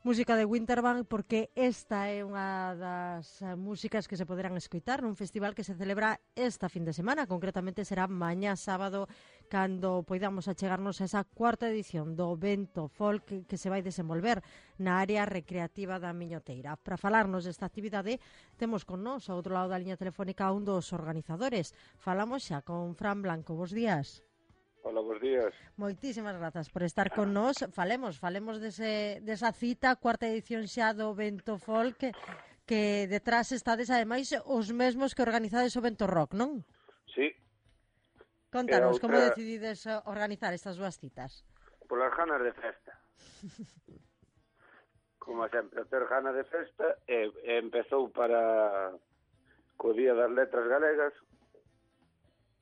música de Winterband, porque esta é unha das músicas que se poderán escoitar nun festival que se celebra esta fin de semana. Concretamente será mañá sábado, cando poidamos achegarnos a esa cuarta edición do Vento Folk que se vai desenvolver na área recreativa da Miñoteira. Para falarnos desta actividade, temos con nós, ao outro lado da liña telefónica, un dos organizadores. Falamos xa con Fran Blanco. Bos días. Hola, bons días. Moitísimas grazas por estar con nós. Falemos desa cita, cuarta edición xa do Vento Folk, que detrás estades ademais os mesmos que organizades o Vento Rock, non? Sí. Contanos, como decidides organizar estas dúas citas? Polas ganas de festa. Como sempre, ter ganas de festa, empezou para co Día das Letras Galegas,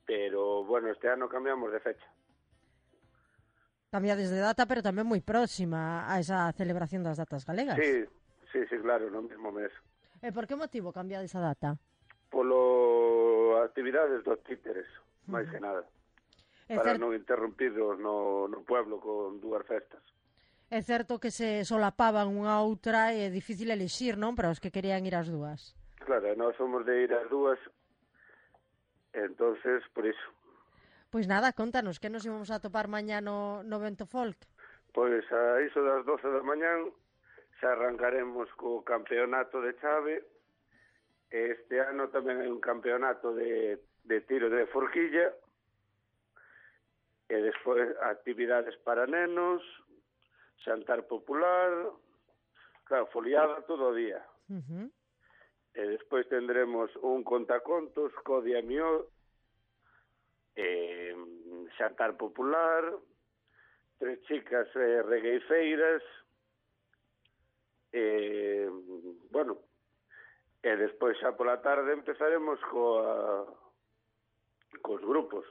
pero, bueno, este ano cambiamos de fecha. Cambiades de data, pero tamén moi próxima a esa celebración das datas galegas. Sí, claro, no mesmo mes. E por que motivo cambiades a data? Polo actividades dos títeres, máis que nada. Para non interrompidos no pueblo con dúas festas. É certo que se solapaban unha outra e é difícil elixir, non? Para os que querían ir ás dúas. Claro, nós somos de ir ás dúas, entonces, por iso. Pois nada, contanos, que nos íbamos a topar mañá no Vento Folk? Pois a iso das 12 da mañán xa arrancaremos co campeonato de chave. Este ano tamén hai un campeonato de tiro de forquilla, e despois actividades para nenos, xantar popular, claro, foliada todo o día. E despois tendremos un contacontos, Codia Mió, xantar popular, 3 chicas regueifeiras, bueno, e despois xa pola tarde empezaremos cos grupos.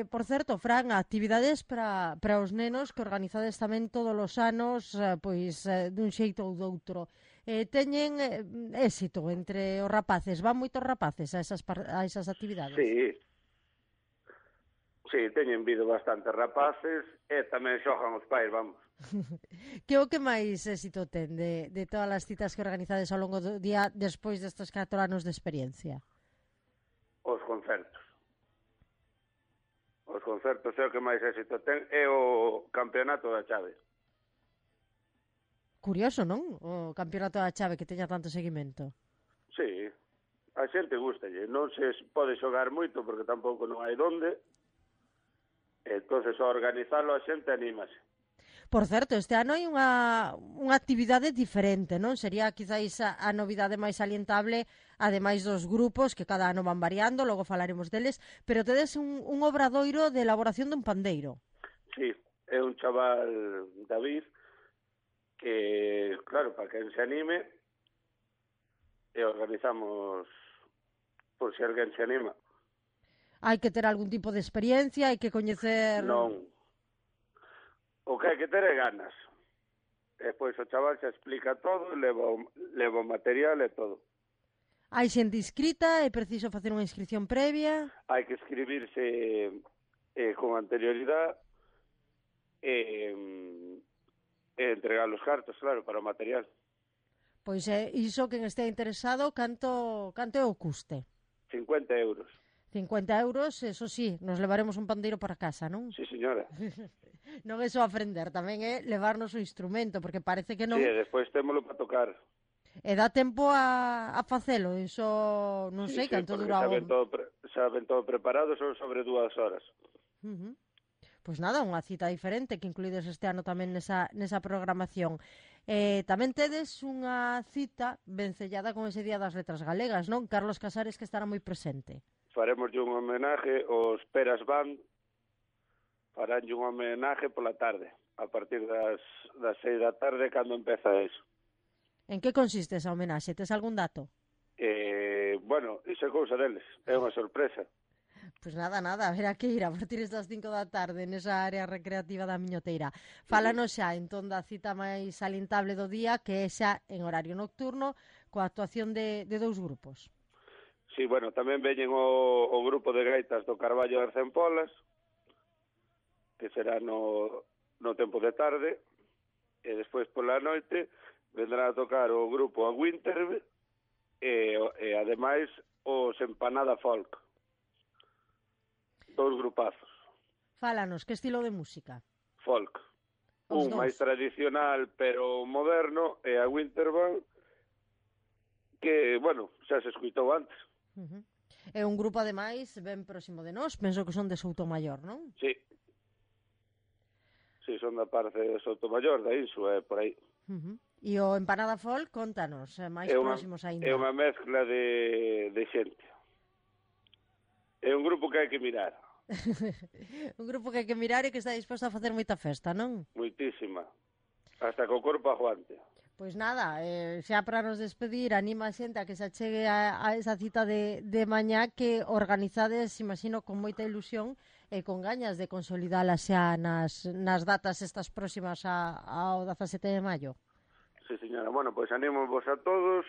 Por certo, Fran, actividades para os nenos que organizades tamén todos os anos, pois dun xeito ou doutro. Teñen éxito entre os rapaces? Van moitos rapaces a esas actividades? Sí, teñen vido bastantes rapaces e tamén xogan os pais, vamos. Que o que máis éxito ten de todas as citas que organizades ao longo do día despois destes 4 anos de experiencia? Os concertos. Os concertos é o que máis éxito ten, é o campeonato da chave. Curioso, non? O campeonato da chave que teña tanto seguimento. Sí, a xente gustalle. Non se pode xogar moito porque tampouco non hai donde. Entonces, ao organizarlo a xente anímase. Por certo, este ano hai unha actividade diferente, non? Sería quizáis a novidade máis salientable, ademais dos grupos que cada ano van variando, logo falaremos deles, pero tedes un obradoiro de elaboración dun pandeiro. Sí, é un chaval, David, que, claro, para quen se anime, e organizamos por se alguén se anima. Hai que ter algún tipo de experiencia, hai que coñecer... Non. O que hai que ter é ganas. Despois o chaval xa explica todo, leva o material e todo. Hai xente inscrita, é preciso facer unha inscripción previa? Hai que escribirse con anterioridade e entregar os cartos, claro, para o material. Pois iso, quen este interesado, canto é o custe? 50 euros. 50 euros, eso sí, nos levaremos un pandeiro para casa, non? Sí, señora. Non é só aprender, tamén é levarnos o instrumento, porque parece que non... Sí, e despois témolo para tocar. E dá tempo a facelo, iso non sei canto dura... Xa ven todo preparado, son sobre 2 horas. Pois nada, unha cita diferente que incluídes este ano tamén nesa programación. Tamén tedes unha cita vencellada con ese Día das Letras Galegas, non? Carlos Casares, que estará moi presente. Faremos un homenaje aos Peras Band, faránlle un homenaje pola tarde, a partir das 6 da tarde, cando empeza eso. En que consiste esa homenaxe? Tes algún dato? Bueno, iso é cousa deles, é unha sorpresa. Pois nada, haberá que ir a partir das 5 da tarde nesa área recreativa da Miñoteira. Fálanos xa, entón, da cita máis salientable do día, que é xa en horario nocturno, coa actuación de 2 grupos. Sí, bueno, tamén veñen o grupo de gaitas do Carballo das Cempolas, que será no tempo de tarde, e despois pola noite vendrá a tocar o grupo A Winter e ademais os Empanada Folk. 2 grupazos. Fálanos, que estilo de música? Folk. Os Un máis dous. tradicional pero moderno e a Winterband que, bueno, xa se escuitou antes. É un grupo, ademais, ben próximo de nós, penso que son de Soutomaior, non? Sí. Sí, son da parte de Sotomayor, da Insu, por aí. E o Empanada Folk, contanos, máis próximos É aínda. unha mezcla de xente. É un grupo que hai que mirar. Un grupo que hai que mirar e que está disposto a facer moita festa, non? Moitísima. Hasta que o corpo aguante. Pois nada, xa para nos despedir, anima a xente a que se achegue a esa cita de mañá que organizades, imagino, con moita ilusión e con gañas de consolidala xa nas datas estas próximas ao 17 de maio. Sí, señora. Bueno, pois animo vos a todos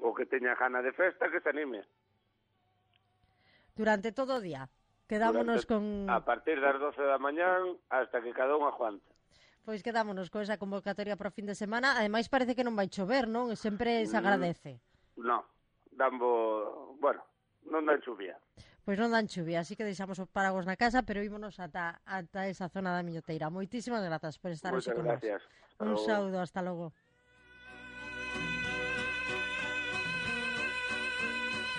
o que teña gana de festa que se anime. Durante todo o día. Quedámonos con... A partir das 12 da mañán hasta que cada un aguante. Pois quedámonos con esa convocatoria para o fin de semana. Ademais parece que non vai chover, non? Sempre se agradece. Non, bueno, non dan chuvia. Pois non dan chuvia, así que deixamos os paragos na casa, pero ímonos ata esa zona da Miñoteira. Moitísimas grazas por estar hoxe con nós. Moitas gracias. Un saúdo, hasta logo.